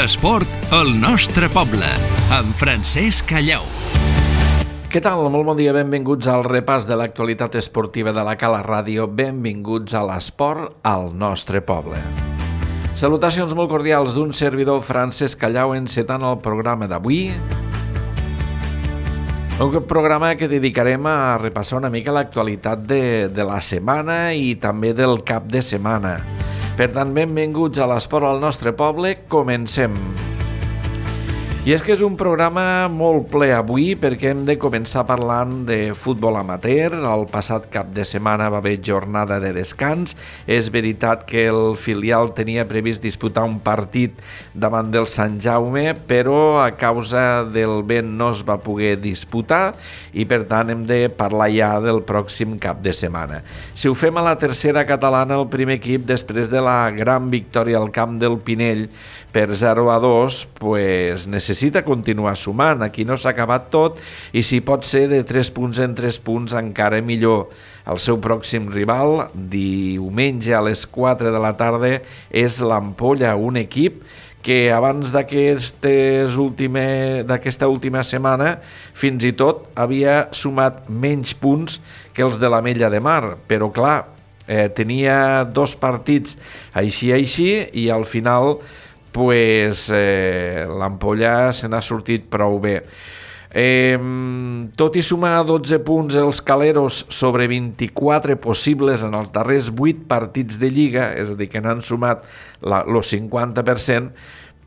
L'esport al nostre poble, amb Francesc Callau. Què tal? Molt bon dia, benvinguts al repàs de l'actualitat esportiva de la Cala Ràdio. Benvinguts a l'esport al nostre poble. Salutacions molt cordials d'un servidor, Francesc Callau, encetant el programa d'avui. Un programa que dedicarem a repassar una mica l'actualitat de la setmana i també del cap de setmana. Per tant, benvinguts a l'esport al nostre poble. Comencem. I és que és un programa molt ple avui perquè hem de començar parlant de futbol amateur. El passat cap de setmana va haver jornada de descans. És veritat que el filial tenia previst disputar un partit davant del Sant Jaume, però a causa del vent no es va poder disputar i per tant hem de parlar ja del pròxim cap de setmana. Si ho fem a la tercera catalana, el primer equip, després de la gran victòria al camp del Pinell per 0-2, pues necessita continuar sumant. Aquí no s'ha acabat tot i si pot ser de 3 punts en 3 punts encara millor. El seu pròxim rival, diumenge a les 4 de la tarda, és l'Ampolla, un equip que abans d'aquesta última setmana fins i tot havia sumat menys punts que els de l'Ametlla de Mar, però clar, tenia 2 partits així i al final l'Ampolla se n'ha sortit prou bé. Tot i sumar 12 punts els caleros sobre 24 possibles en els darrers 8 partits de Lliga, és a dir, que n'han sumat el 50%,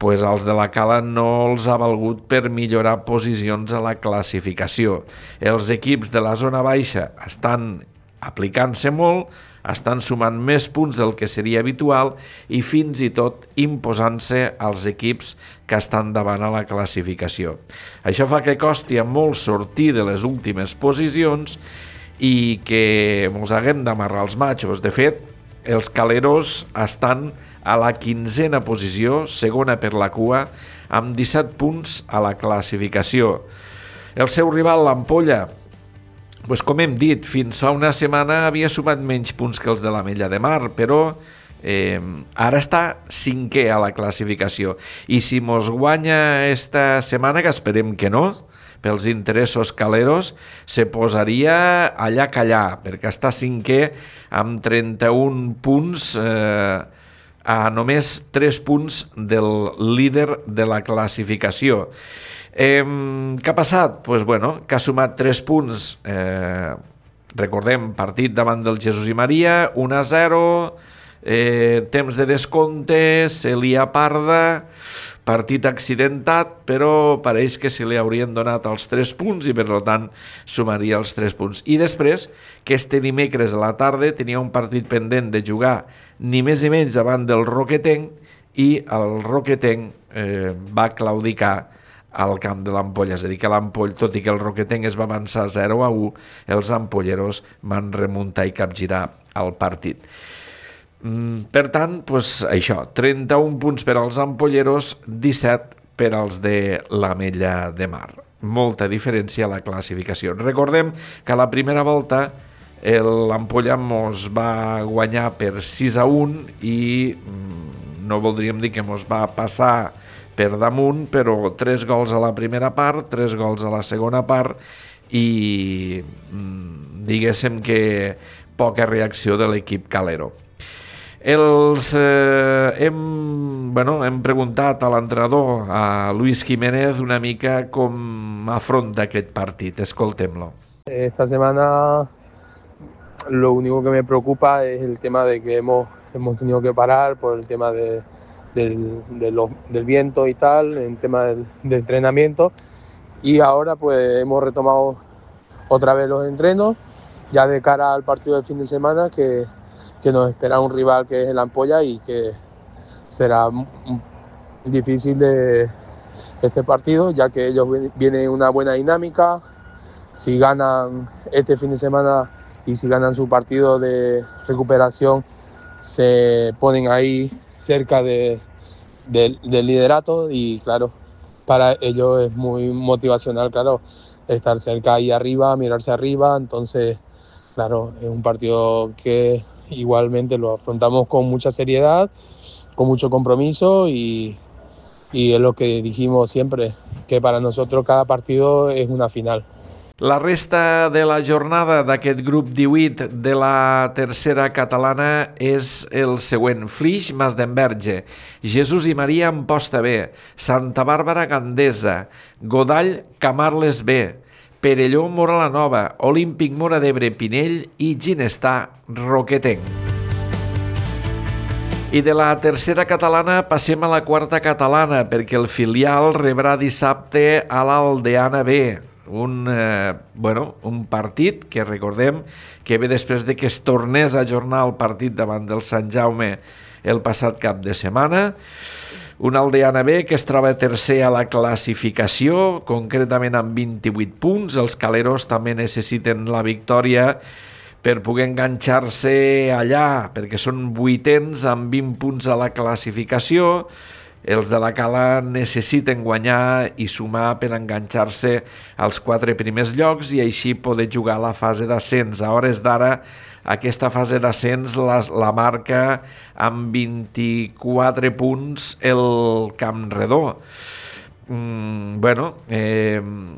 els de la Cala no els ha valgut per millorar posicions a la classificació. Els equips de la zona baixa estan aplicant-se molt, estan sumant més punts del que seria habitual i fins i tot imposant-se als equips que estan davant a la classificació. Això fa que costi molt sortir de les últimes posicions i que ens haguem d'amarrar els matxos. De fet, els caleros estan a la 15a posició, segona per la cua, amb 17 punts a la classificació. El seu rival, l'Ampolla, com hem dit, fins fa una setmana havia sumat menys punts que els de l'Ametlla de Mar, però ara està 5è a la classificació. I si mos guanya esta setmana, que esperem que no, pels interessos caleros, se posaria allà callar, perquè està 5è amb 31 punts, a només 3 punts del líder de la classificació. Què ha passat? Que ha sumat 3 punts. Recordem, partit davant del Jesús i Maria, 1-0, temps de descompte, se li aparda, partit accidentat, però pareix que se li haurien donat els 3 punts i per tant sumaria els 3 punts. I després, que este dimecres a la tarda tenia un partit pendent de jugar ni més ni menys davant del Roquetenc i el Roquetenc va claudicar al camp de l'Ampolla, és a dir, que tot i que el Roquetenc es va avançar 0-1, els ampolleros van remuntar i capgirar el partit. Per tant, això, 31 punts per als ampolleros, 17 per als de l'Ametlla de Mar. Molta diferència a la classificació. Recordem que a la primera volta l'Ampolla mos va guanyar per 6-1 i no voldríem dir que mos va passar per damunt, però 3 gols a la primera part, 3 gols a la segona part i diguéssim que poca reacció de l'equip calero. Hem preguntat a l'entrenador, a Luis Jiménez, una mica com afronta aquest partit. Escoltem-lo. Esta semana lo único que me preocupa es el tema de que hemos tenido que parar por el tema del viento y tal, en tema de entrenamiento, y ahora hemos retomado otra vez los entrenos ya de cara al partido del fin de semana que nos espera un rival que es el Ampolla y que será difícil de este partido, ya que ellos vienen en una buena dinámica. Si ganan este fin de semana y si ganan su partido de recuperación, se ponen ahí cerca del liderato y claro, para ellos es muy motivacional, claro, estar cerca ahí arriba, mirarse arriba. Entonces, claro, es un partido que igualmente lo afrontamos con mucha seriedad, con mucho compromiso y y es lo que dijimos siempre, que para nosotros cada partido es una final. La resta de la jornada d'aquest grup 18 de la tercera catalana és el següent. Flix, Masdenverge, Jesús i Maria, Amposta B, Santa Bàrbara, Gandesa, Godall, Camarles B, Perelló, Móra la Nova, Olímpic Móra d'Ebre, Pinell i Ginestar, Roquetenc. I de la tercera catalana passem a la quarta catalana perquè el filial rebrà dissabte a l'Aldeana B. Un partit que recordem que ve després de que es tornés a ajornar el partit davant del Sant Jaume el passat cap de setmana. Un Aldeana B que es troba tercer a la classificació, concretament amb 28 punts. Els caleros també necessiten la victòria per poder enganxar-se allà, perquè són vuitens amb 20 punts a la classificació. Els de la Cala necessiten guanyar i sumar per enganxar-se als 4 primers llocs i així poder jugar a la fase d'ascens. A hores d'ara, aquesta fase d'ascens la marca amb 24 punts el Campredó.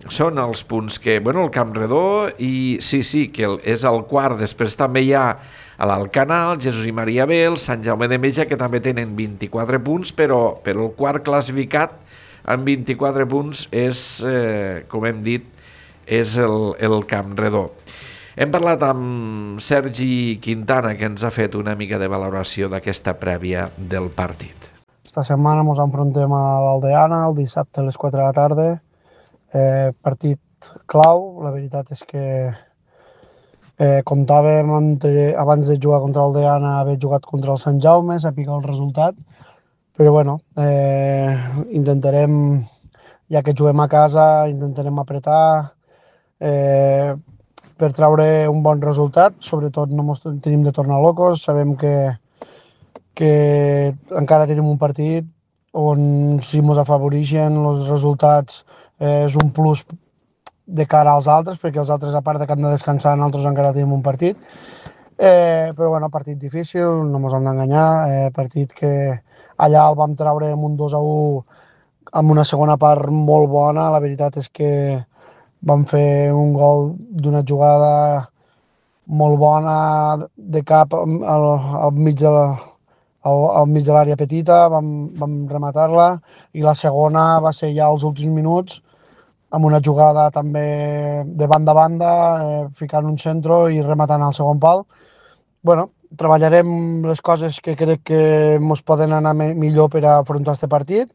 Són els punts que... el Campredó i sí, que és el quart. Després també hi ha a l'Alcanar, el Jesús i Maria B, el Sant Jaume de Meja, que també tenen 24 punts, però el quart classificat amb 24 punts és, com hem dit, és el Campredó. Hem parlat amb Sergi Quintana, que ens ha fet una mica de valoració d'aquesta prèvia del partit. Esta setmana ens enfrontem a l'Aldeana, el dissabte a les 4 de la tarda. Partit clau, la veritat és que comptàvem abans de jugar contra l'Aldeana haver jugat contra el Sant Jaume, saber el resultat, però intentarem, ja que juguem a casa, intentarem apretar per treure un bon resultat. Sobretot no ens tenim de tornar locos, sabem que encara tenim un partit on si ens afavoreixen els resultats és un plus de cara als altres, perquè els altres, a part que han de descansar, nosaltres encara tenim un partit. Però partit difícil, no ens hem d'enganyar, partit que allà el vam treure amb un 2-1 amb una segona part molt bona. La veritat és que vam fer un gol d'una jugada molt bona de cap al mig de l'àrea petita, vam rematar-la, i la segona va ser ja als últims minuts, amb una jugada també de banda a banda, ficant un centre i rematant al segon pal. Treballarem les coses que crec que ens poden anar millor per a afrontar aquest partit,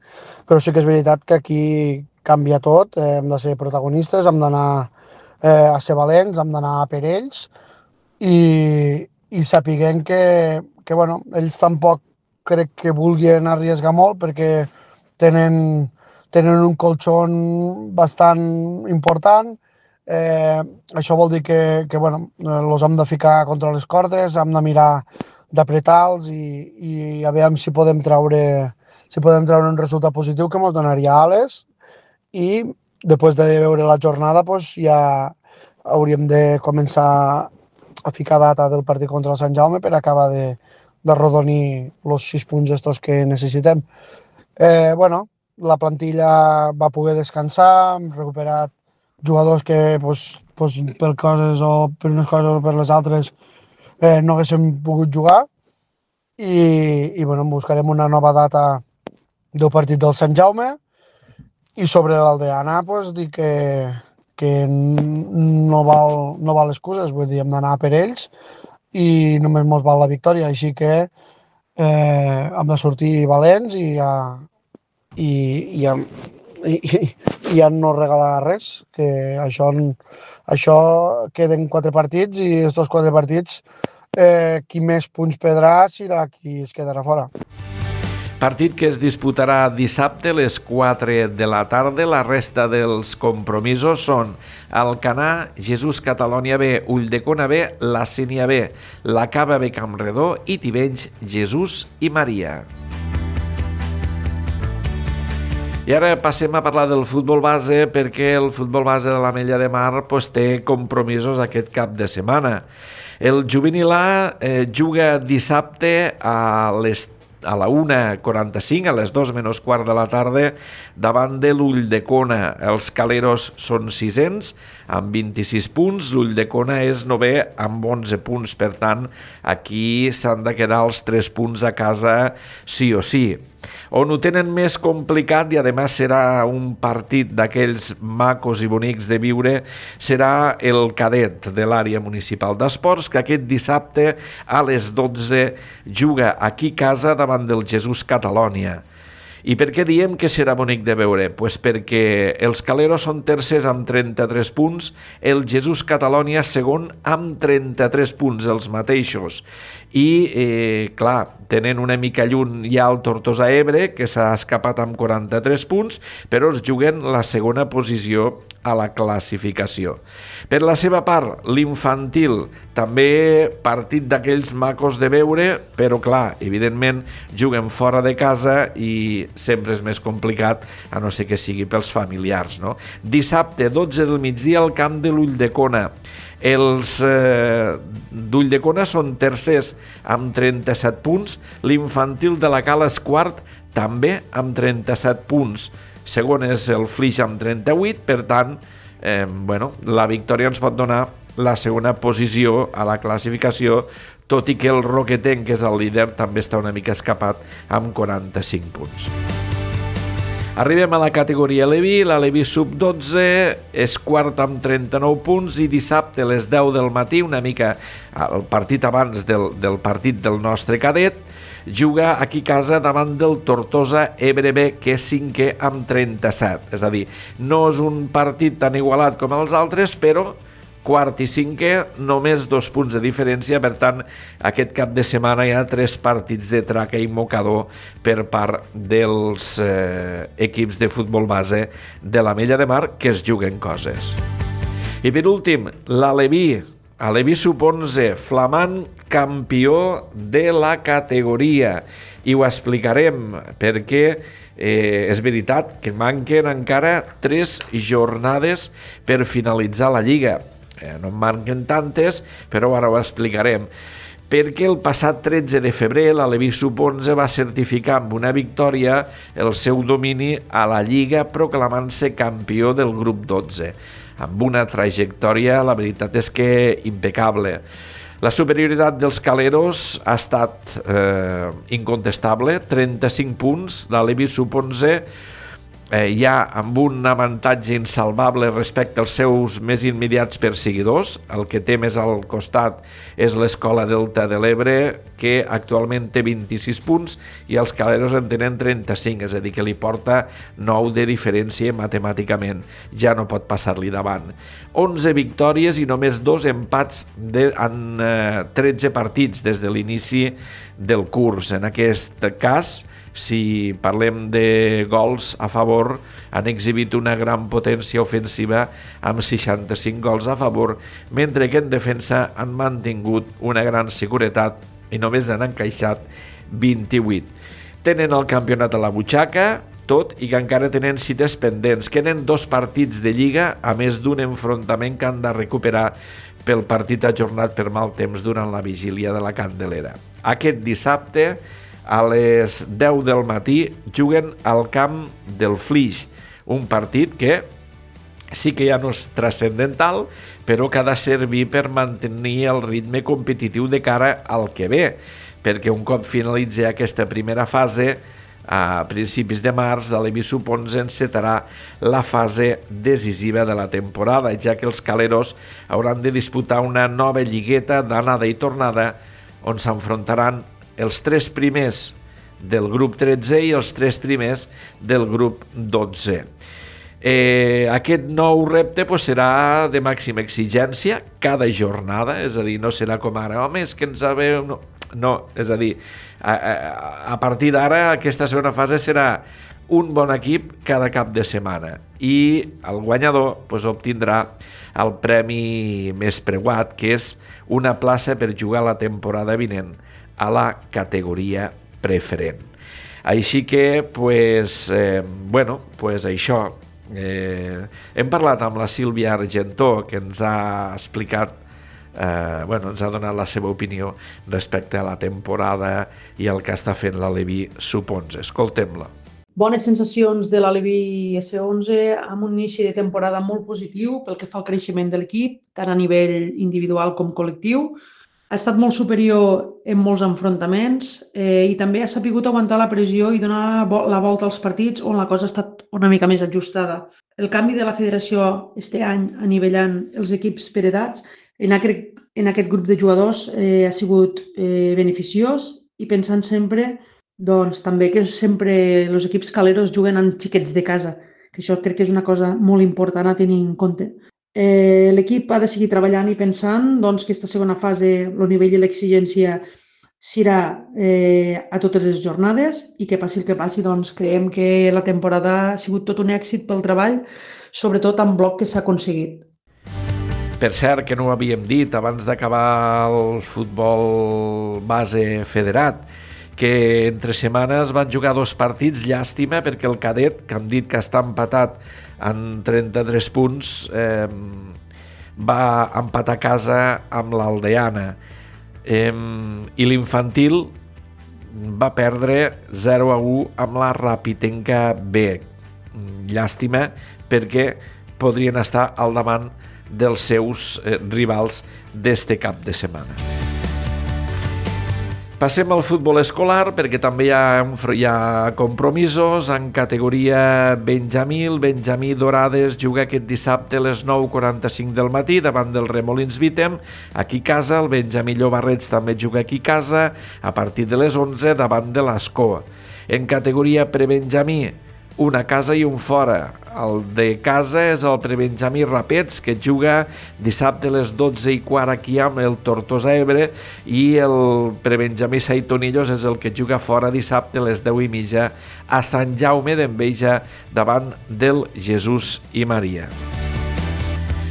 però sí que és veritat que aquí canvia tot, hem de ser protagonistes, hem d'anar a ser valents, hem d'anar per ells i sapiguem que ells tampoc crec que vulguin arriesgar molt perquè tenen un colxon bastant important. Això vol dir que els hem de ficar contra les cordes, hem de mirar d'apretar-los i a veure si podem treure un resultat positiu que ens donaria ales, i després de veure la jornada ja hauríem de començar a ficar data del partit contra el Sant Jaume per acabar de rodonir els 6 punts estos que necessitem. La plantilla va poder descansar, hem recuperat jugadors que per coses o per unes coses o per les altres no haguéssim pogut jugar i buscarem una nova data del partit del Sant Jaume. I sobre l'Aldeana dir que no val excuses, vull dir, hem d'anar per ells i només ens val la victòria, així que hem de sortir valents i ja no regalar res, que això queden 4 partits i aquests 4 partits qui més punts perdrà serà qui es quedarà fora. Partit que es disputarà dissabte a les 4 de la tarda. La resta dels compromisos són Alcanar, Jesús Catalònia B, Ulldecona B, la Sénia B, la Cava B Campredó i Tivenys, Jesús i Maria. I ara passem a parlar del futbol base, perquè el futbol base de l'Ametlla de Mar té compromisos aquest cap de setmana. El juvenil A juga dissabte a les a la 1:45, a les 2 menys quart de la tarda, davant de l'Ulldecona. Els Caleros són 600, amb 26 punts. L'Ulldecona és 9è, amb 11 punts. Per tant, aquí s'han de quedar els 3 punts a casa sí o sí. On ho tenen més complicat, i a més serà un partit d'aquells macos i bonics de viure, serà el cadet de l'àrea municipal d'esports, que aquest dissabte a les 12 juga aquí a casa davant del Jesús Catalònia. I per què diem que serà bonic de veure? Pues perquè els Caleros són tercers amb 33 punts, el Jesús Catalònia segon amb 33 punts, els mateixos. I, clar, tenen una mica lluny ja el Tortosa Ebre, que s'ha escapat amb 43 punts, però es juguen la segona posició a la classificació. Per la seva part, l'infantil, també partit d'aquells macos de veure, però clar, evidentment juguen fora de casa i sempre és més complicat, a no ser que sigui pels familiars, no? Dissabte, 12 del migdia, al camp de l'Ulldecona. Els d'Ulldecona són tercers amb 37 punts, l'infantil de la Cala és quart, també amb 37 punts. Segon és el Flix amb 38, per tant, la victòria ens pot donar la segona posició a la classificació, tot i que el Roquetenc, que és el líder, també està una mica escapat amb 45 punts. Arribem a la categoria Leví, la Leví sub-12 és quart amb 39 punts i dissabte a les 10 del matí, una mica el partit abans del partit del nostre cadet, juga aquí a casa davant del Tortosa Ebre B, que és cinquè amb 37. És a dir, no és un partit tan igualat com els altres, però quart i cinquè, només 2 punts de diferència. Per tant, aquest cap de setmana hi ha 3 partits de traca i mocador per part dels equips de futbol base de l'Ametlla de Mar, que es juguen coses. I per últim, l'Aleví, a Leví sub-11, flamant campió de la categoria. I ho explicarem perquè és veritat que manquen encara 3 jornades per finalitzar la Lliga. No en manquen tantes, però ara ho explicarem. Perquè el passat 13 de febrer l'Aleví sub-11 va certificar amb una victòria el seu domini a la Lliga, proclamant-se campió del grup 12. Amb una trajectòria, la veritat és que impecable. La superioritat dels Caleros ha estat incontestable, 35 punts, l'Aleví sub-11 ja amb un avantatge insalvable respecte als seus més immediats perseguidors. El que té més al costat és l'Escola Delta de l'Ebre, que actualment té 26 punts i els Caleros en tenen 35, és a dir, que li porta 9 de diferència matemàticament. Ja no pot passar-li davant. 11 victòries i només 2 empats en 13 partits des de l'inici del curs. En aquest cas, si parlem de gols a favor, han exhibit una gran potència ofensiva amb 65 gols a favor, mentre que en defensa han mantingut una gran seguretat i només han encaixat 28. Tenen el campionat a la butxaca, tot i que encara tenen cites pendents. Queden 2 partits de Lliga, a més d'un enfrontament que han de recuperar pel partit ajornat per mal temps durant la vigília de la Candelera. Aquest dissabte, a les 10 del matí, juguen al camp del Flix, un partit que sí que ja no és transcendental, però que ha de servir per mantenir el ritme competitiu de cara al que ve, perquè un cop finalitzi aquesta primera fase, a principis de març, l'Aleví sub-11 encetarà la fase decisiva de la temporada, ja que els Caleros hauran de disputar una nova lligueta d'anada i tornada, on s'enfrontaran els 3 primers del grup 13 i els 3 primers del grup 12. Aquest nou repte serà de màxima exigència cada jornada, és a dir, no serà com ara, home, és que ens haveu... No, és a dir, a partir d'ara aquesta segona fase serà un bon equip cada cap de setmana i el guanyador obtindrà el premi més preuat, que és una plaça per jugar la temporada vinent a la categoria preferent. Així que, això. Hem parlat amb la Sílvia Argentó, que ens ha explicat ens ha donat la seva opinió respecte a la temporada i el que està fent l'Aleví Sub-11. Escoltem-la. Bones sensacions de l'Aleví S11 amb un inici de temporada molt positiu pel que fa al creixement de l'equip, tant a nivell individual com col·lectiu. Ha estat molt superior en molts enfrontaments i també ha sabut aguantar la pressió i donar la volta als partits on la cosa ha estat una mica més ajustada. El canvi de la federació este any anivellant els equips per edats en aquest grup de jugadors ha sigut beneficiós i pensant sempre doncs també que sempre els equips caleros juguen amb xiquets de casa, que això crec que és una cosa molt important a tenir en compte. L'equip ha de seguir treballant i pensant doncs, que aquesta segona fase, el nivell i l'exigència serà a totes les jornades i que passi el que passi, doncs creiem que la temporada ha sigut tot un èxit pel treball, sobretot en bloc que s'ha aconseguit. Per cert, que no ho havíem dit abans d'acabar el futbol base federat, que entre setmanes van jugar 2 partits, llàstima, perquè el cadet, que han dit que està empatat en 33 punts, va empatar a casa amb l'Aldeana. I l'infantil va perdre 0-1 amb la Rapitenca B. Llàstima, perquè podrien estar al davant dels seus rivals d'este cap de setmana. Passem al futbol escolar perquè també hi ha compromisos en categoria Benjamí. El Benjamí Dorades juga aquest dissabte a les 9:45 del matí davant del Remolins Vitem. Aquí a casa, el Benjamí Llobarrets també juga aquí a casa a partir de les 11 davant de l'Escoa. En categoria prebenjamí, un a casa i un fora. El de casa és el prebenjamí Rapets, que juga dissabte a les 12:15 aquí amb el Tortosa Ebre, i el prebenjamí Saitonillos és el que juga fora dissabte a les 10:30 a Sant Jaume d'Enveja davant del Jesús i Maria.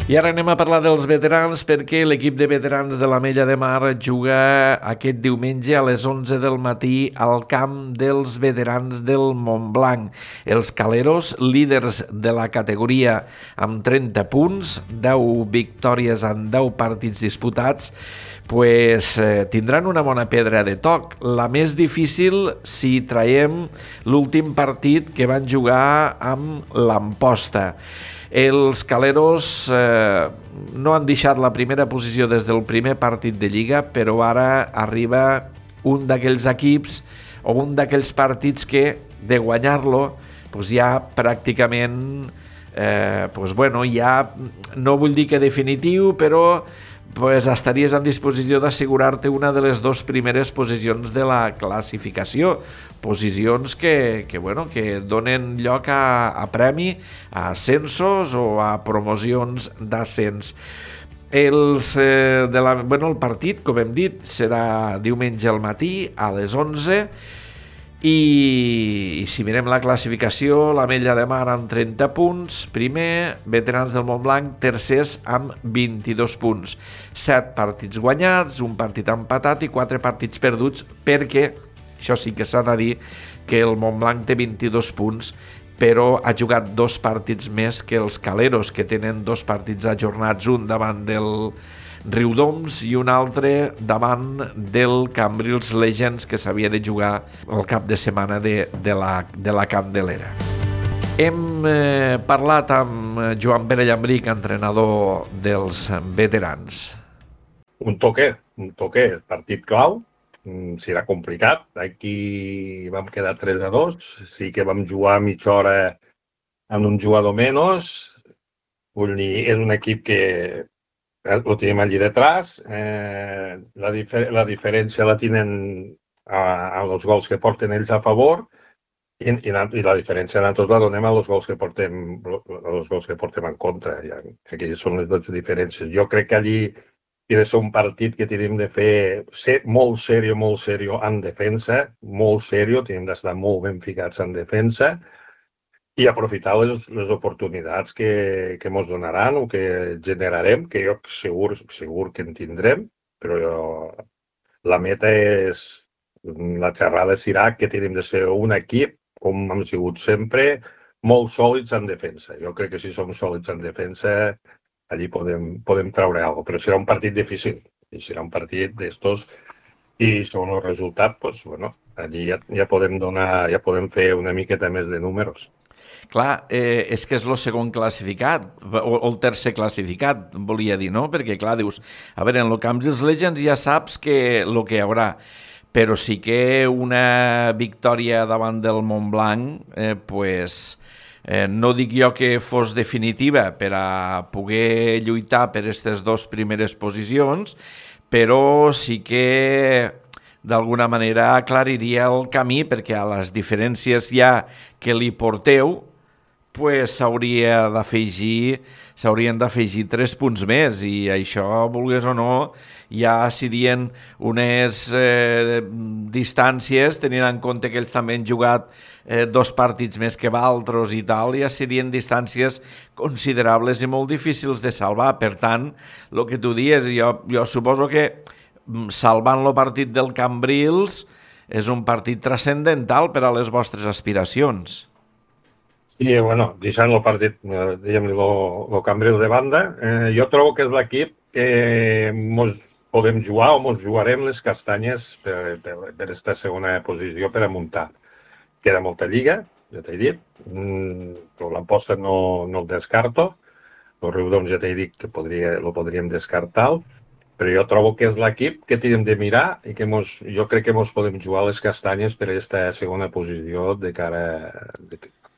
I ara anem a parlar dels veterans perquè l'equip de veterans de l'Ametlla de Mar juga aquest diumenge a les 11 del matí al camp dels veterans del Montblanc. Els caleros, líders de la categoria amb 30 punts, 10 victòries en 10 partits disputats, tindran una bona pedra de toc. La més difícil si traiem l'últim partit que van jugar amb l'Amposta. Els caleros no han deixat la primera posició des del primer partit de Lliga, però ara arriba un d'aquells equips o un d'aquells partits que, de guanyar-lo, ja pràcticament, ja no vull dir que definitiu, però estaries en disposició d'assegurar-te una de les 2 primeres posicions de la classificació, posicions que donen lloc a premi, a ascensos o a promocions d'ascens. El partit, com hem dit, serà diumenge al matí a les 11 i si mirem la classificació, l'Ametlla de Mar amb 30 punts, primer, veterans del Montblanc, tercers amb 22 punts. 7 partits guanyats, un partit empatat i 4 partits perduts, perquè, això sí que s'ha de dir, que el Montblanc té 22 punts, però ha jugat 2 partits més que els caleros, que tenen 2 partits ajornats, un davant del Riudoms i un altre davant del Cambrils Legends, que s'havia de jugar el cap de setmana de la Candelera. Hem parlat amb Joan Pere Llambric, entrenador dels veterans. Un toque, partit clau, serà complicat. Aquí vam quedar 3-2, sí que vam jugar mitja hora amb un jugador menys, vull dir, és un equip que ho tenim allí detrás. La diferència la tenen amb els gols que porten ells a favor i la diferència nosaltres la donem a els gols que portem en contra. Aquí són les 2 diferències. Jo crec que allí ha de ser un partit que tenim de fer molt seriós en defensa, molt seriós, tenim d'estar molt ben ficats en defensa i aprofitar les oportunitats que ens donaran o que generarem, que jo segur que en tindrem, però la meta és, la xerrada serà que tenim de ser un equip, com hem sigut sempre, molt sòlids en defensa. Jo crec que si som sòlids en defensa allí podem treure alguna cosa, però serà un partit difícil, i serà un partit d'estos, i segons el resultat, doncs, bueno, allí ja podem fer una miqueta més de números. Clar, és que és el segon classificat, o el tercer classificat, volia dir, no? Perquè, clar, dius, a veure, en el Cambrils Legends ja saps que el que hi haurà, però sí que una victòria davant del Montblanc, no dic jo que fos definitiva per a poder lluitar per aquestes dues primeres posicions, però sí que d'alguna manera aclariria el camí, perquè a les diferències ja que li porteu s'haurien d'afegir 3 punts més, i això, vulguis o no, ja serien unes distàncies, tenint en compte que ells també han jugat 2 partits més que d'altres i tal, ja serien distàncies considerables i molt difícils de salvar. Per tant, el que tu dius, jo suposo que salvant el partit del Cambrils és un partit transcendental per a les vostres aspiracions. Sí, bueno, deixant el partit, diguem-li, el Cambrils de banda, jo trobo que és l'equip que mos podem jugar o mos jugarem les castanyes per aquesta segona posició per a muntar. Queda molta lliga, ja t'he dit, però l'Amposta no el descarto, el Riudoms ja t'he dit que lo podríem descartar, però jo trobo que és l'equip que tenim de mirar i que jo crec que mos podem jugar les castanyes per a aquesta segona posició de cara a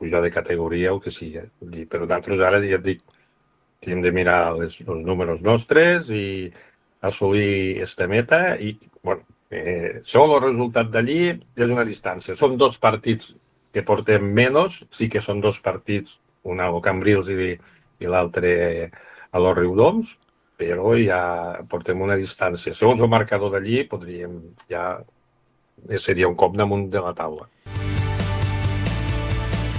pujar de categoria o que sigui. Però d'altres ara, ja et dic, tenim de mirar els números nostres i assolir aquesta meta i, bueno, segons el resultat d'allí és una distància. Són 2 partits que portem menys, sí que són 2 partits, un al Cambrils i l'altre a los Riudoms, però ja portem una distància. Segons el marcador d'allí, seria un cop damunt de la taula.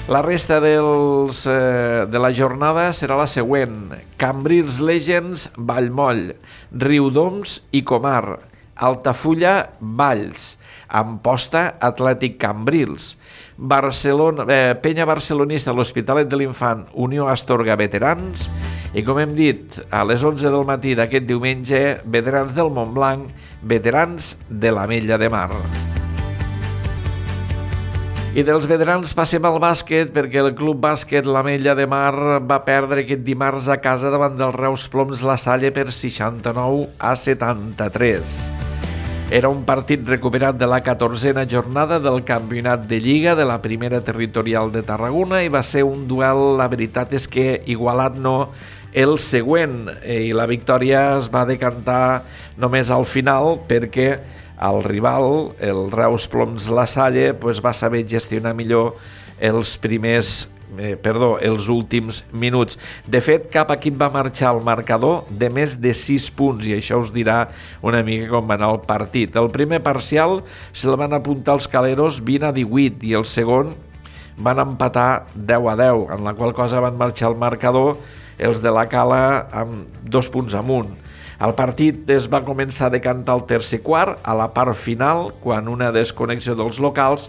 La resta de la jornada serà la següent: Cambrils Legends, Vallmoll, Riudoms i Comar, Altafulla, Valls, Amposta, Atlètic Cambrils, Penya Barcelonista, l'Hospitalet de l'Infant, Unió Astorga, Veterans, i com hem dit, a les 11 del matí d'aquest diumenge, Veterans del Montblanc, Veterans de l'Ametlla de Mar. I dels veterans passem al bàsquet, perquè el Club Bàsquet l'Ametlla de Mar va perdre aquest dimarts a casa davant del Reus Ploms La Salle per 69-73. Era un partit recuperat de la 14a jornada del campionat de Lliga de la primera territorial de Tarragona i va ser un duel, la veritat és que igualat no, el següent, i la victòria es va decantar només al final perquè el rival, el Reus Ploms La Salle, va saber gestionar millor els últims minuts. De fet, cap equip va marxar al marcador de més de 6 punts, i això us dirà una mica com va anar el partit. El primer parcial se'l van apuntar els caleros 20-18 i el segon van empatar 10-10, en la qual cosa van marxar al marcador els de la Cala amb 2 punts amunt. El partit es va començar a decantar al tercer quart, a la part final, quan una desconnexió dels locals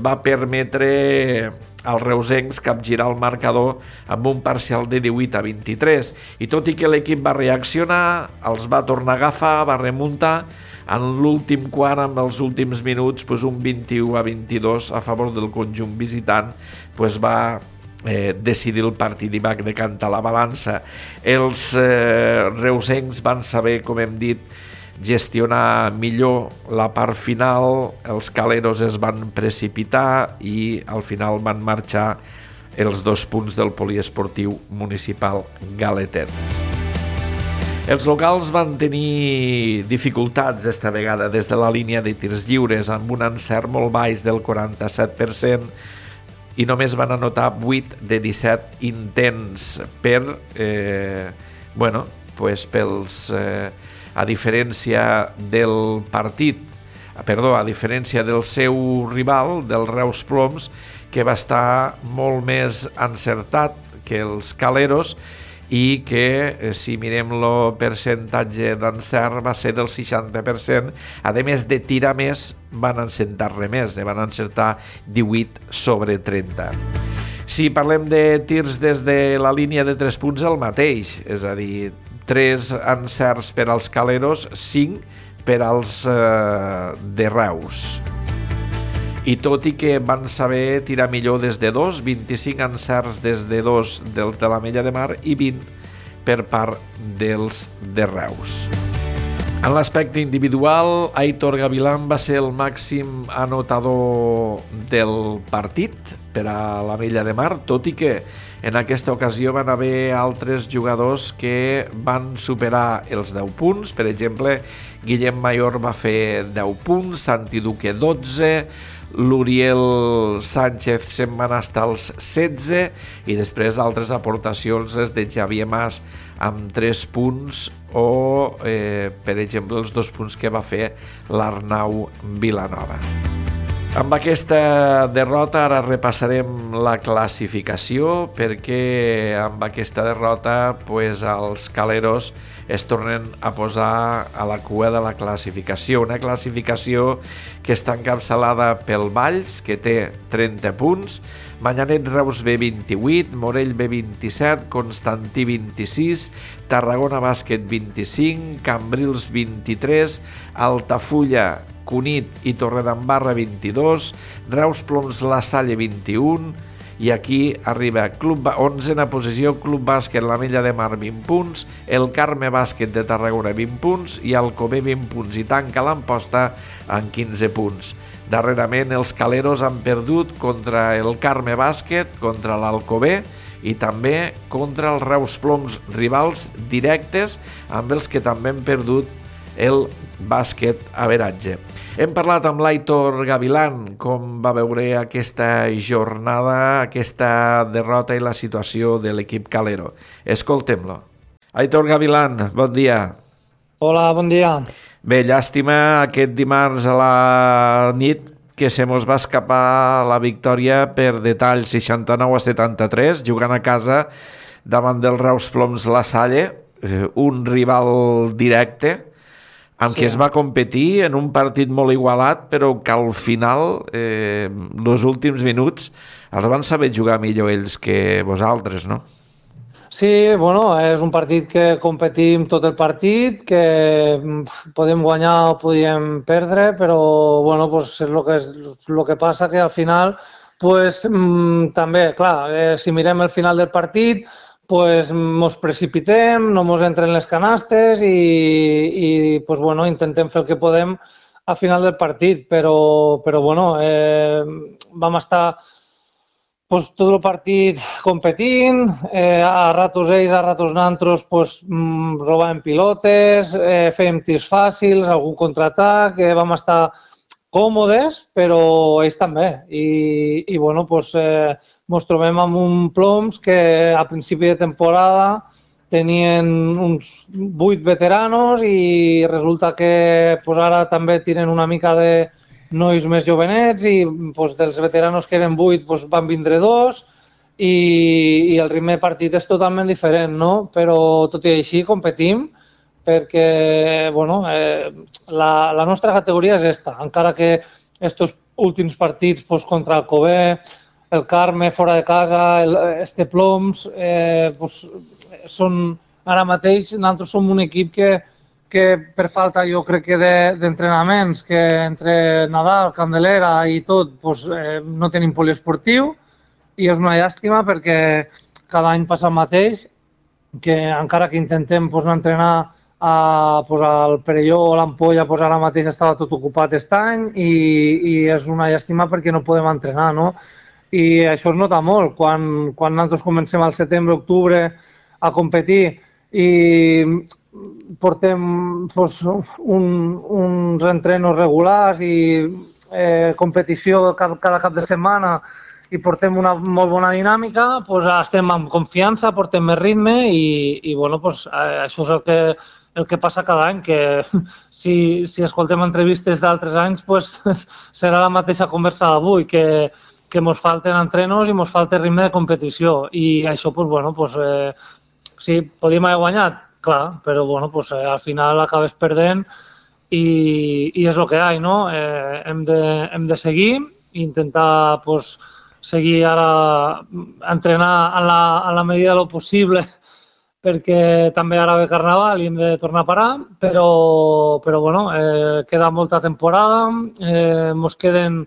va permetre als reusencs capgirar el marcador amb un parcial de 18-23. I tot i que l'equip va reaccionar, els va tornar a agafar, va remuntar, en l'últim quart, amb els últims minuts, un 21-22 a favor del conjunt visitant, va decidir el partit i va decantar la balança. Els reusencs van saber, com hem dit, gestionar millor la part final, els caleros es van precipitar i al final van marxar els 2 punts del poliesportiu municipal galetet. Els locals van tenir dificultats esta vegada des de la línia de tirs lliures, amb un encert molt baix del 47%, i només van anotar 8 de 17 intents a diferència del partit, a diferència del seu rival, del Reus Ploms, que va estar molt més encertat que els caleros i que, si mirem el percentatge d'encert, va ser del 60%. A més de tirar més, van encertar-ne més, van encertar 18/30. Si parlem de tirs des de la línia de 3 punts, el mateix, és a dir, 3 encerts per als caleros, 5 per als de Reus. I tot i que van saber tirar millor des de 2, 25 encerts des de 2 dels de l'Ametlla de Mar i 20 per part dels de Reus. En l'aspecte individual, Aitor Gavilán va ser el màxim anotador del partit per a l'Ametlla de Mar, tot i que en aquesta ocasió van haver altres jugadors que van superar els 10 punts. Per exemple, Guillem Mayor va fer 10 punts, Santi Duque 12, l'Uriel Sánchez se'n van estar als 16 i després altres aportacions les de Xavier Mas amb 3 punts o, per exemple, els 2 punts que va fer l'Arnau Vilanova. Amb aquesta derrota ara repassarem la classificació perquè amb aquesta derrota els caleros es tornen a posar a la cua de la classificació. Una classificació que està encapçalada pel Valls, que té 30 punts, Manyanet Reus B 28, Morell B 27, Constantí 26, Tarragona Bàsquet 25, Cambrils 23, Altafulla, Cunit i Torredembarra 22, Reus Ploms La Salle 21 i aquí arriba 11a posició Club Bàsquet l'Ametlla de Mar 20 punts, el Carme Bàsquet de Tarragona 20 punts i Alcover 20 punts i tanca l'Amposta amb 15 punts. Darrerament els caleros han perdut contra el Carme Bàsquet, contra l'Alcover i també contra els Reus Ploms, rivals directes amb els que també han perdut el bàsquet averatge. Hem parlat amb l'Aitor Gavilán com va veure aquesta jornada, aquesta derrota i la situació de l'equip calero. Escoltem-lo. Aitor Gavilán, bon dia. Hola, bon dia. Bé, llàstima aquest dimarts a la nit que se mos va escapar la victòria per detall 69-73, jugant a casa davant del Reus Ploms La Salle, un rival directe, amb qui es va competir en un partit molt igualat, però que al final, els últims minuts, els van saber jugar millor ells que vosaltres, no? Sí, bueno, és un partit que competim tot el partit, que podem guanyar o podem perdre, però bueno, pues és el que passa, que al final pues, també, clar, si mirem el final del partit, pues mos precipitem, no mos entren les canastes i pues, bueno, intentem fer el que podem al final del partit, però bueno, vam estar pues, tot el partit competint, a ratos ells, a ratos nosaltres pues, robàvem pilotes, fèiem tirs fàcils, algun contraatac, vam estar còmodes, però ells també. I bueno, pues, ens trobem amb un Ploms que a principi de temporada tenien uns 8 veteranos i resulta que pues, ara també tenen una mica de nois més jovenets i pues, dels veteranos que eren 8 pues, van vindre 2 i el ritme de partit és totalment diferent, no? Però tot i així competim perquè bueno, la nostra categoria és esta, encara que estos últims partits pues, contra el Alcover, el Carme fora de casa, este Ploms, pues, són ara mateix, nosaltres som un equip que per falta jo crec que d'entrenaments, que entre Nadal, Candelera i tot, pues, no tenim poliesportiu i és una llàstima perquè cada any passa el mateix, que encara que intentem pues, no entrenar al Perelló o l'Ampolla pues, ara mateix estava tot ocupat aquest any i és una llàstima perquè no podem entrenar, no? I això es nota molt quan nosaltres comencem al setembre-octubre a competir i portem pues, uns entrenos regulars i competició cada cap de setmana i portem una molt bona dinàmica, pues, estem amb confiança, portem més ritme i bueno, pues, això és el que passa cada any, que si escoltem entrevistes d'altres anys pues, serà la mateixa conversa d'avui, que ens falten entrenos i ens falta ritme de competició i això, pues, bueno, pues, sí, podíem haver guanyat, clar, però bueno, pues, al final acabes perdent i és el que hi ha, no? Hem de seguir i intentar pues, seguir ara entrenar en la medida de lo possible, perquè també ara ve Carnaval i hem de tornar a parar, però bueno, queda molta temporada, ens queden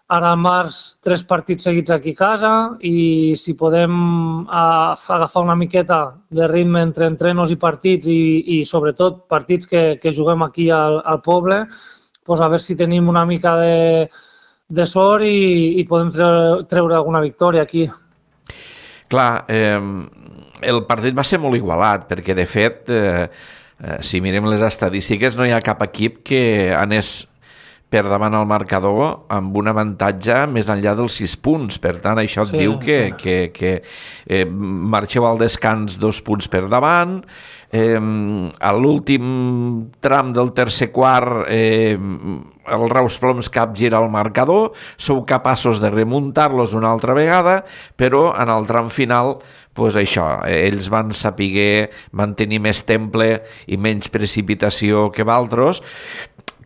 ara al març 3 partits seguits aquí a casa i si podem agafar una miqueta de ritme entre entrenos i partits i sobretot partits que juguem aquí al poble, doncs a veure si tenim una mica de sort i podem treure alguna victòria aquí. Clar, el partit va ser molt igualat perquè de fet, si mirem les estadístiques, no hi ha cap equip que anés per davant al marcador amb un avantatge més enllà dels 6 punts. Per tant, això et diu que marxeu al descans 2 punts per davant. A l'últim tram del tercer quart el Reus Ploms capgira el marcador, sou capaços de remuntar-los una altra vegada, però en el tram final pues això, ells van saber mantenir més temple i menys precipitació que d'altres.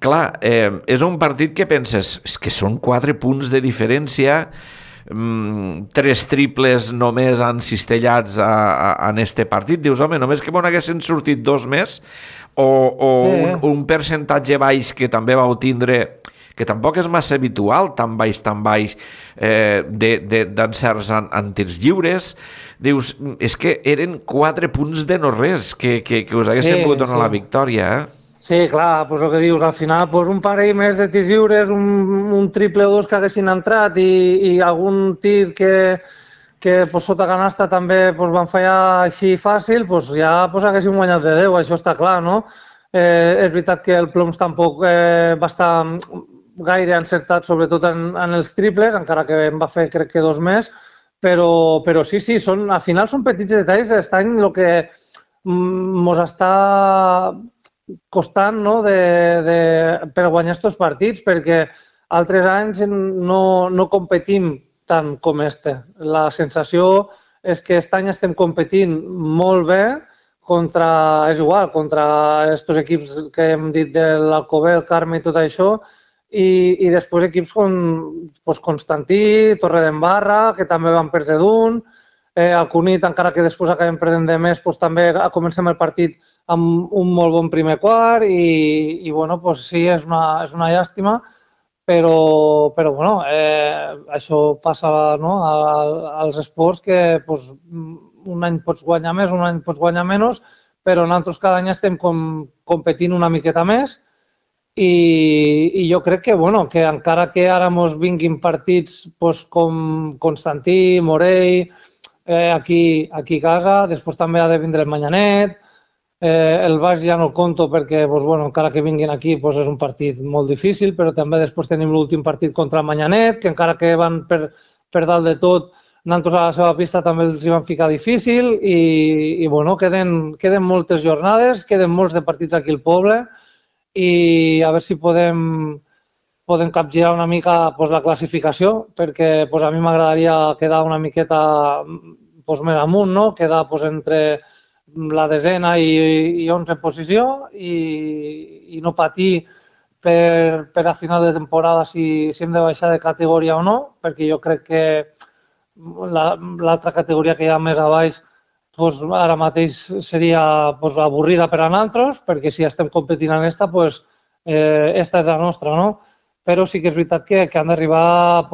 Clar, és un partit que penses, és que són 4 punts de diferència, 3 triples només encistellats en este partit. Dius, home, només que haguessin sortit 2 més o un percentatge baix que també vau tindre, que tampoc és massa habitual, tan baix, d'encerts en tirs lliures. Dius, és que eren 4 punts de no res que us haguessin pogut donar la victòria, Sí, clar, doncs el que dius, al final un parell més de tirs lliures, un triple o 2 que haguessin entrat i algun tir que sota canasta també van fallar així fàcil, ja haguessin guanyat de 10, això està clar, no? És veritat que el Ploms tampoc va estar gaire encertat, sobretot en els triples, encara que en va fer crec que 2 més, però sí, al final són petits detalls, l'any el que ens està costant per guanyar aquests partits, perquè altres anys no competim tant com este. La sensació és que aquest any estem competint molt bé contra aquests equips que hem dit de l'Alcover, el Carme i tot això, i després equips com Constantí, Torredembarra, que també van perdre d'un, el Cunit, encara que després acabem perdent de més, també comencem el partit amb un molt bon primer quart i sí, és una llàstima, però això passa als esports que un any pots guanyar més, un any pots guanyar menys, però nosaltres cada any estem competint una miqueta més i jo crec que encara que ara ens vinguin partits com Constantí, Morell, aquí a casa, després també ha de vindre el Manyanet, el Baix ja no el conto perquè encara que vinguin aquí és un partit molt difícil, però també després tenim l'últim partit contra el Manyanet, que encara que van per dalt de tot, nosaltres a la seva pista també els hi van ficar difícil i queden moltes jornades, queden molts de partits aquí al poble i a veure si podem capgirar una mica la classificació, perquè a mi m'agradaria quedar una miqueta més amunt, quedar entre la desena i 11 posició i no patir per a final de temporada si hem de baixar de categoria o no, perquè jo crec que l'altra categoria que hi ha més a baix ara mateix seria avorrida per a nosaltres, perquè si estem competint en esta, esta és la nostra, no? Però sí que és veritat que han d'arribar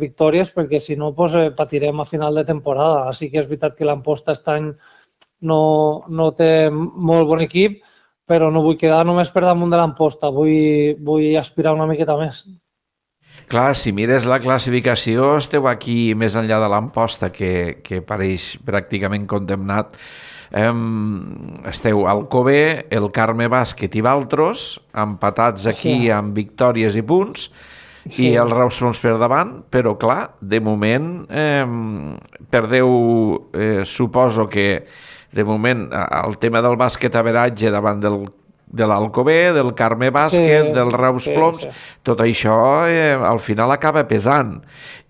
victòries, perquè si no patirem a final de temporada. Sí que és veritat que l'Amposta aquest any no té molt bon equip, però no vull quedar només per damunt de l'Amposta, vull aspirar una miqueta més. Clar, si mires la classificació, esteu aquí més enllà de l'Amposta, que pareix pràcticament condemnat. Esteu al Alcover, el Carme Bàsquet i Valtros, empatats aquí amb victòries i punts, i el Reus Ploms per davant, però clar, de moment perdeu, suposo que de moment el tema del bàsquet average davant de l'Alcover, del Carme Bàsquet, del Reus Ploms, tot això al final acaba pesant.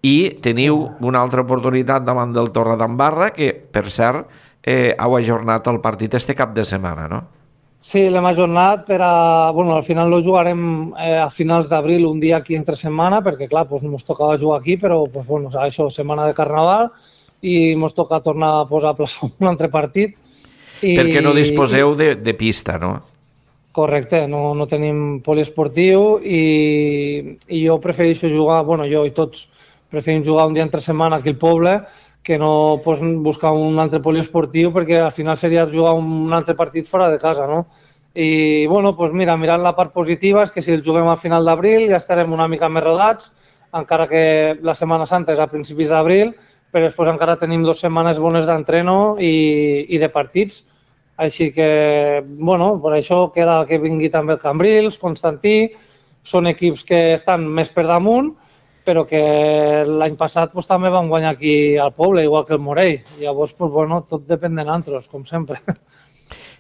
I teniu una altra oportunitat davant del Torredembarra, que, per cert, heu ajornat el partit este cap de setmana, no? Sí, l'hem ajornat per a... Bueno, al final no jugarem a finals d'abril, un dia aquí entre setmana, perquè, clar, doncs ens tocava jugar aquí, però, doncs, bueno, això, setmana de Carnaval, i ens toca tornar a posar a plaçar un altre partit. Perquè no disposeu de pista, no? Correcte, no tenim poliesportiu i jo prefereixo jugar, bueno, jo i tots preferim jugar un dia entre setmana aquí al poble, que no buscar un altre poliesportiu, perquè al final seria jugar un altre partit fora de casa, no? I, bueno, doncs mira, mirant la part positiva és que si el juguem a final d'abril ja estarem una mica més rodats, encara que la Setmana Santa és a principis d'abril, però després encara tenim 2 setmanes bones d'entreno i de partits. Així que, bueno, doncs això queda que vingui també el Cambrils, Constantí, són equips que estan més per damunt, però que l'any passat doncs, també van guanyar aquí al poble, igual que el Morell. Llavors, doncs, bueno, tot depèn de nosaltres, com sempre.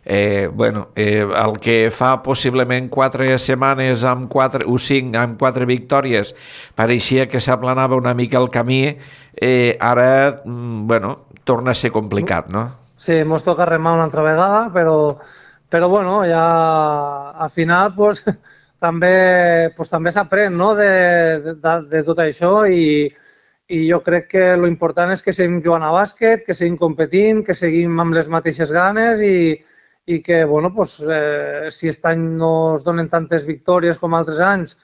El que fa possiblement 4 setmanes o 5 amb 4 victòries pareixia que s'aplanava una mica el camí, ara, bueno, torna a ser complicat, no? Sí, ens toca remar una altra vegada, però bueno, ja al final pues, també s'aprèn, no? de tot això i jo crec que l'important és que seguim jugant a bàsquet, que seguim competint, que seguim amb les mateixes ganes i que, bueno, pues, si aquest any no es donen tantes victòries com altres anys,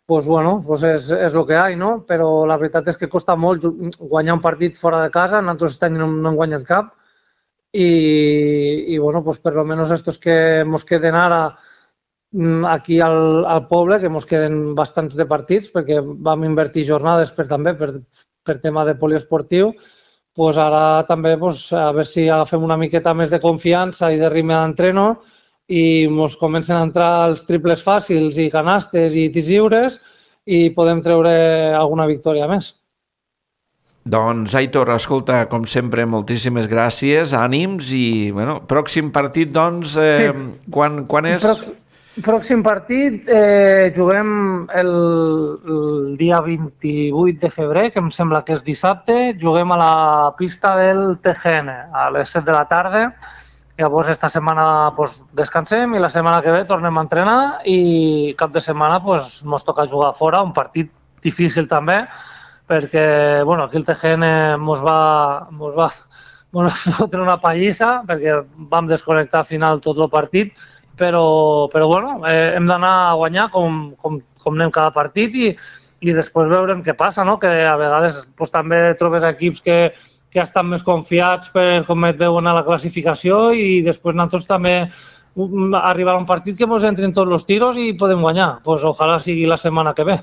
pues, bueno, pues és el que hi ha, no? Però la veritat és que costa molt guanyar un partit fora de casa, nosaltres aquest any no hem guanyat cap, i bueno, pues per lo menos estos que ens queden ara aquí al poble, que ens queden bastants de partits, perquè vam invertir jornades també per tema de poliesportiu, pues ara també pues, a veure si agafem una miqueta més de confiança i de ritme d'entreno i ens comencen a entrar els triples fàcils i canastes i tirs lliures i podem treure alguna victòria més. Doncs, Aitor, escolta, com sempre, moltíssimes gràcies, ànims i, bueno, pròxim partit, doncs, sí. Quan és? Pròxim partit juguem el dia 28 de febrer, que em sembla que és dissabte, juguem a la pista del TGN a les 7 de la tarda. Llavors, esta setmana pues, descansem i la setmana que ve tornem a entrenar i cap de setmana pues, ens toca jugar fora, un partit difícil també, perquè bueno, aquí el TGN ens va fotre una pallissa perquè vam desconnectar al final tot el partit, però bueno, hem d'anar a guanyar com anem cada partit i després veurem què passa, no? Que a vegades pues, també trobes equips que estan més confiats per com et veuen a la classificació i després nosaltres també arribar a un partit que ens entren tots els tiros i podem guanyar. Pues ojalà sigui la setmana que ve.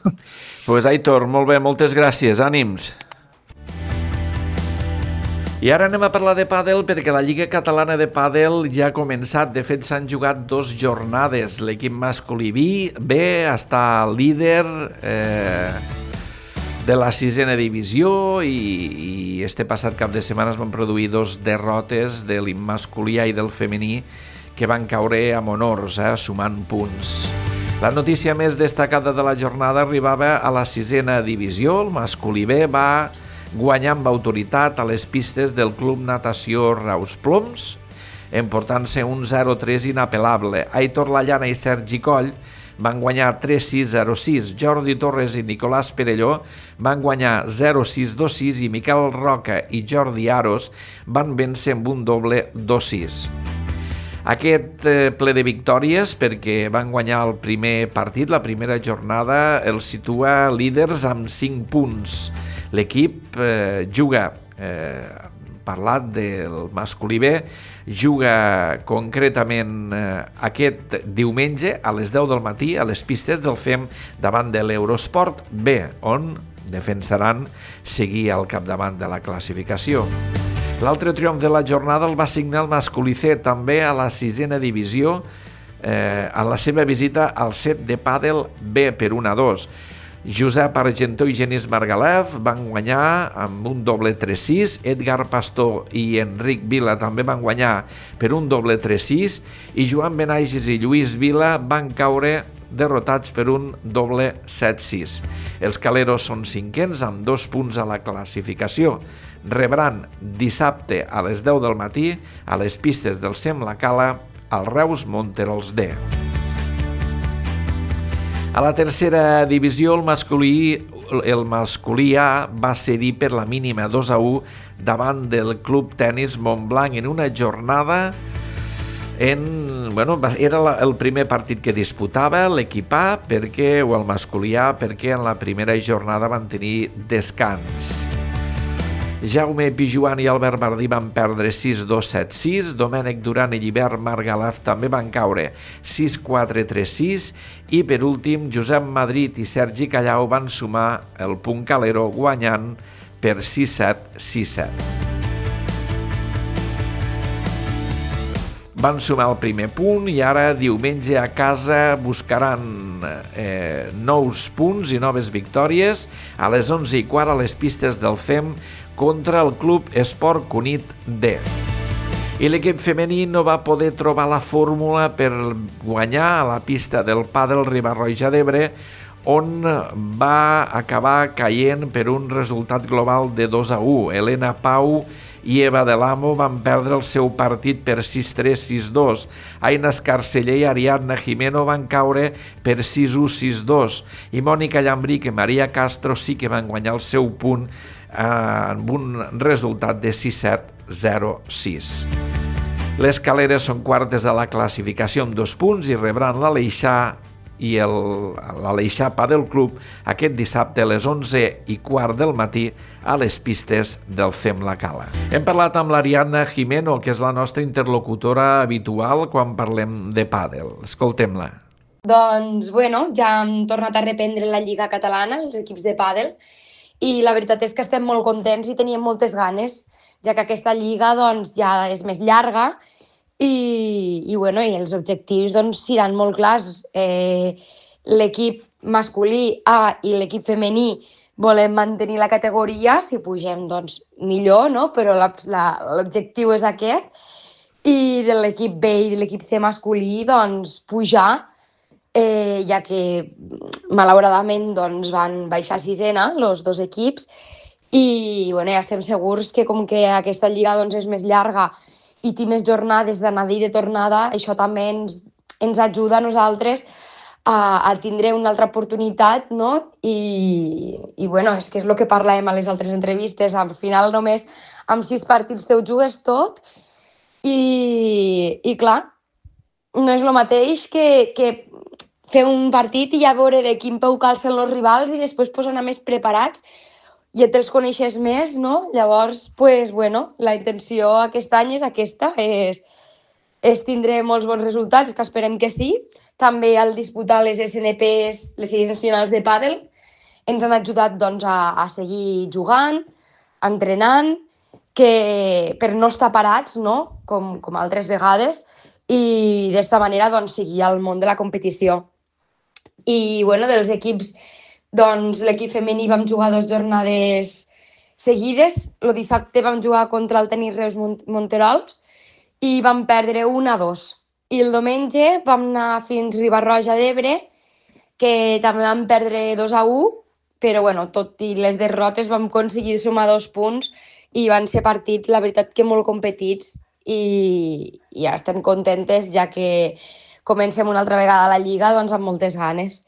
Pues Aitor, molt bé, moltes gràcies, ànims. I ara anem a parlar de pàdel perquè la Lliga Catalana de Pàdel ja ha començat. De fet, s'han jugat 2 jornades. L'equip masculí B està líder de la 6a divisió i este passat cap de setmana es van produir 2 derrotes de masculí i del femení que van caure amb honors, sumant punts. La notícia més destacada de la jornada arribava a la 6a divisió. El masculí B va guanyar amb autoritat a les pistes del Club Natació Raus Ploms, emportant-se un 0-3 inapel·lable. Aitor Lallana i Sergi Coll van guanyar 3-6, 0-6. Jordi Torres i Nicolàs Perelló van guanyar 0-6, 2-6 i Miquel Roca i Jordi Aros van vèncer amb un doble 2-6. Aquest ple de victòries, perquè van guanyar el primer partit, la primera jornada, els situa líders amb 5 punts. L'equip juga, parlat del masculí B, juga concretament aquest diumenge a les 10 del matí a les pistes del FEM davant de l'Eurosport B, on defensaran seguir al capdavant de la classificació. L'altre triomf de la jornada el va signar el masculí C, també a la 6a divisió, a la seva visita al set de pàdel B per 1-2. Josep Argentó i Genís Margalef van guanyar amb un doble 3-6, Edgar Pastor i Enric Vila també van guanyar per un doble 3-6 i Joan Benages i Lluís Vila van caure derrotats per un doble 7-6. Els caleros són 5ens amb 2 punts a la classificació. Rebran dissabte a les 10 del matí a les pistes del SEM La Cala al Reus Monterols D. A la tercera divisió, el masculí A va cedir per la mínima 2-1 davant del Club Tenis Montblanc en una jornada era el primer partit que disputava l'equip A o el masculí A perquè en la primera jornada van tenir descans. Jaume Pijuan i Albert Bardí van perdre 6-2, 7-6. Domènec Duran i Llibert Margalef també van caure 6-4, 3-6. I per últim, Josep Madrid i Sergi Callau van sumar el punt Calero guanyant per 6-7, 6-7. Van sumar el primer punt i ara diumenge a casa buscaran nous punts i noves victòries a les 11:15 a les pistes del FEM contra el Club Esport Cunit D. I l'equip femení no va poder trobar la fórmula per guanyar a la pista del pàdel Riba-roja d'Ebre, on va acabar caient per un resultat global de 2-1. Helena Pau i Eva de l'Amo van perdre el seu partit per 6-3, 6-2. Aina Escarceller i Ariadna Jimeno van caure per 6-1, 6-2. I Mònica Llambric i Maria Castro sí que van guanyar el seu punt amb un resultat de 6-7, 0-6. Les Caleres són quartes a la classificació amb 2 punts i rebran l'Aleixar i l'Aleixar Padel Club aquest dissabte a les 11:15 del matí a les pistes del FEM La Cala. Hem parlat amb l'Ariadna Jimeno, que és la nostra interlocutora habitual quan parlem de pàdel. Escoltem-la. Doncs, ja hem tornat a reprendre la Lliga Catalana, els equips de pàdel, i la veritat és que estem molt contents i teníem moltes ganes, ja que aquesta lliga ja és més llarga i els objectius seran molt clars. L'equip masculí A i l'equip femení volem mantenir la categoria, si pugem millor, no? Però l'objectiu és aquest, i de l'equip B i de l'equip C masculí pujar, ja que malauradament van baixar a sisena els dos equips i ja estem segurs que com que aquesta lliga és més llarga i té més jornades d'anada i de tornada, això també ens ajuda a nosaltres a tindre una altra oportunitat, no? I és que és el que parlàvem a les altres entrevistes. Al final només amb 6 partits te ho jugues tot i clar, no és el mateix que fer un partit i ja veure de quin peu calcen els rivals i després anar més preparats, ja te'ls coneixes més, no? Llavors, la intenció aquest any és aquesta, és tindre molts bons resultats, que esperem que sí. També al disputar les SNPs, les sèries nacionals de pàdel, ens han ajudat a seguir jugant, entrenant, per no estar parats, no? Com altres vegades, i d'esta manera seguir al món de la competició. I dels equips, l'equip femení vam jugar 2 jornades seguides. El dissabte vam jugar contra el Tenis Reus Monterols i vam perdre 1-2. I el diumenge vam anar fins Riba-roja d'Ebre, que també vam perdre 2-1, però tot i les derrotes vam aconseguir sumar 2 punts i van ser partits, la veritat, que molt competits i ja estem contentes, ja que comencem una altra vegada la Lliga amb moltes ganes.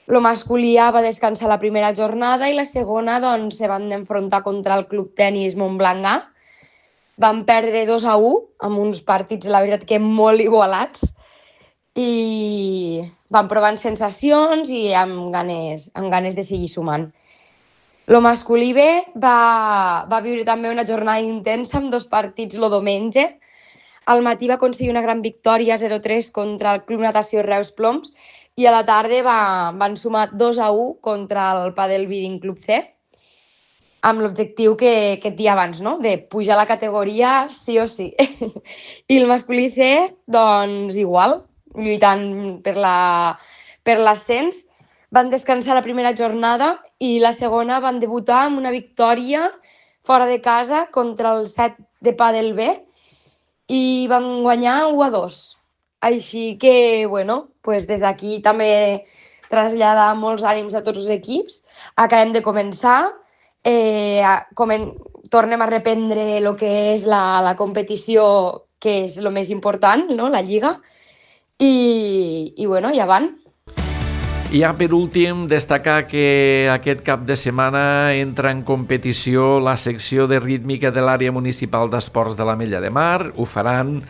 El masculí A va descansar la primera jornada i la segona se van enfrontar contra el Club Tenis Montblanc A. Van perdre 2-1 amb uns partits, la veritat, que molt igualats, i van provant sensacions i amb ganes de seguir sumant. El masculí B va viure també una jornada intensa amb 2 partits el diumenge. Al matí va aconseguir una gran victòria 0-3 contra el Club Natació Reus Ploms i a la tarda van sumar 2-1 contra el Padel Bidding Club C, amb l'objectiu que et dia abans, no? De pujar la categoria sí o sí. I el masculí C, igual, lluitant per l'ascens. Van descansar la primera jornada i la segona van debutar amb una victòria fora de casa contra el 7 de Padel B i van guanyar 1-2. Així que, des d'aquí també traslladar molts ànims a tots els equips. Acabem de començar, tornem a reprendre el que és la competició que és el més important, no?, la Lliga, i bueno, ja van. I ja per últim, destacar que aquest cap de setmana entra en competició la secció de rítmica de l'àrea municipal d'esports de l'Ametlla de Mar. Ho faran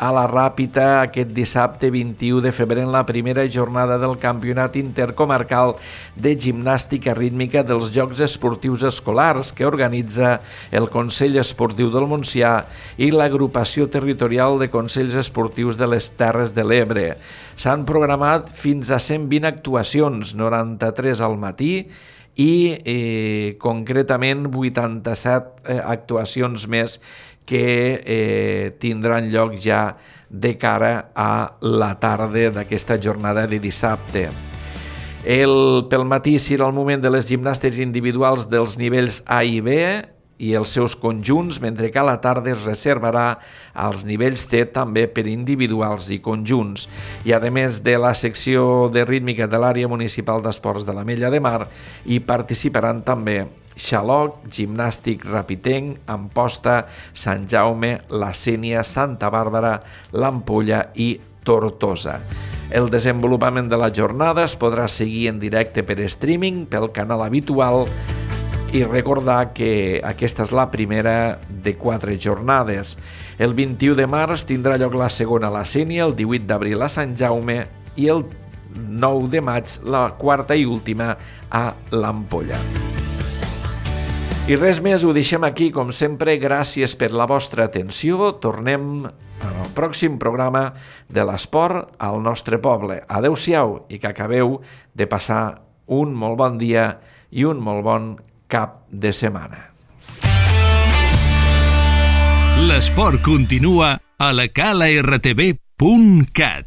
a la Ràpita aquest dissabte 21 de febrer en la primera jornada del Campionat Intercomarcal de Gimnàstica Rítmica dels Jocs Esportius Escolars que organitza el Consell Esportiu del Montsià i l'Agrupació Territorial de Consells Esportius de les Terres de l'Ebre. S'han programat fins a 120 actuacions, 93 al matí i concretament 87 actuacions més que tindran lloc ja de cara a la tarda d'aquesta jornada de dissabte. Pel matí serà el moment de les gimnastes individuals dels nivells A i B i els seus conjunts, mentre que a la tarda es reservarà als nivells T també per individuals i conjunts. I a més de la secció de rítmica de l'àrea municipal d'esports de l'Ametlla de Mar, hi participaran també Xaloc, Gimnàstic Rapitenc, Amposta, Sant Jaume, La Sénia, Santa Bàrbara, l'Ampolla i Tortosa. El desenvolupament de la jornada es podrà seguir en directe per streaming pel canal habitual i recordar que aquesta és la primera de 4 jornades. El 21 de març tindrà lloc la segona a La Sénia, el 18 d'abril a Sant Jaume i el 9 de maig la quarta i última a l'Ampolla. I res més, ho deixem aquí, com sempre, gràcies per la vostra atenció. Tornem al pròxim programa de l'esport al nostre poble. Adéu-siau i que acabeu de passar un molt bon dia i un molt bon cap de setmana. L'esport continua a la calartv.cat.